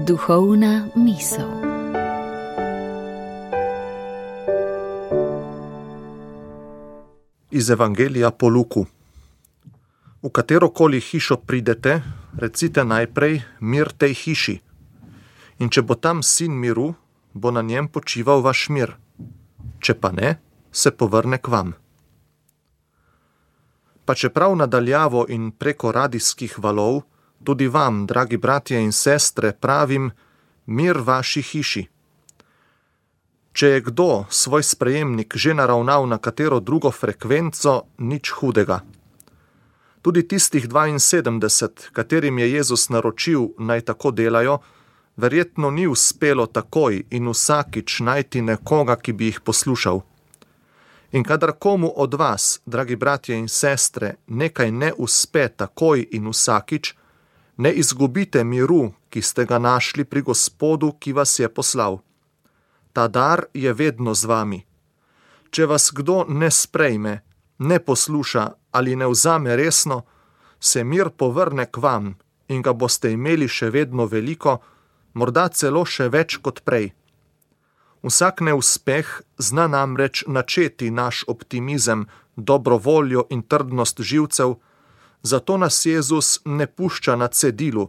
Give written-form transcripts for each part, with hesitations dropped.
Duhovna misel. Iz Evangelija po Luku. V katerokoli hišo pridete, recite najprej mir tej hiši. In če bo tam sin miru, bo na njem počival vaš mir. Če pa ne, se povrne k vam. Pa čeprav nadaljavo in preko radijskih valov, tudi vam, dragi bratje in sestre, pravim, mir vaši hiši. Če je kdo svoj sprejemnik že naravnal na katero drugo frekvenco, nič hudega. Tudi tistih 72, katerim je Jezus naročil, naj tako delajo, verjetno ni uspelo takoj in vsakič najti nekoga, ki bi jih poslušal. In kadar komu od vas, dragi bratje in sestre, nekaj ne uspe takoj in vsakič, ne izgubite miru, ki ste ga našli pri Gospodu, ki vas je poslal. Ta dar je vedno z vami. Če vas kdo ne sprejme, ne posluša ali ne vzame resno, se mir povrne k vam in ga boste imeli še vedno veliko, morda celo še več kot prej. Vsak neuspeh zna namreč načeti naš optimizem, dobro voljo in trdnost živcev, zato nas Jezus ne pušča na cedilu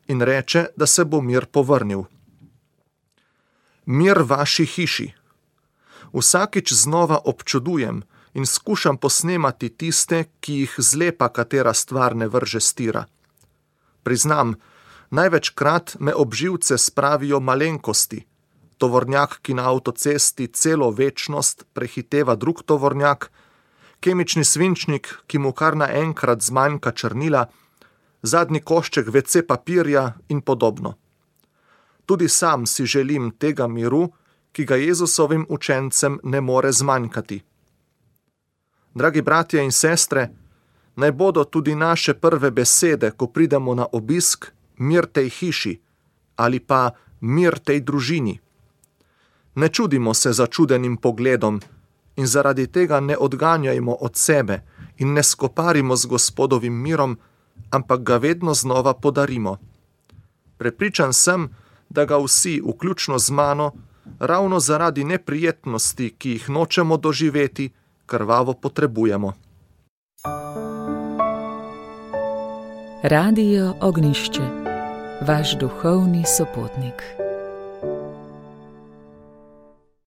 in reče, da se bo mir povrnil. Mir vaši hiši. Vsakič znova občudujem in skušam posnemati tiste, ki jih zlepa katera stvar ne vrže s tira. Priznam, največkrat me ob živce spravijo malenkosti. Tovornjak, ki na avtocesti celo večnost prehiteva drug tovornjak, kemični svinčnik, ki mu kar naenkrat zmanjka črnila, zadnji košček WC papirja in podobno. Tudi sam si želim tega miru, ki ga Jezusovim učencem ne more zmanjkati. Dragi bratje in sestre, naj bodo tudi naše prve besede, ko pridemo na obisk, mir tej hiši ali pa mir tej družini. Ne čudimo se začudenim pogledom in zaradi tega ne odganjajmo od sebe in ne skoparimo z Gospodovim mirom, ampak ga vedno znova podarimo. Prepričan sem, da ga vsi, vključno z mano, ravno zaradi neprijetnosti, ki jih nočemo doživeti, krvavo potrebujemo. Radio Ognjišče, vaš duhovni sopotnik.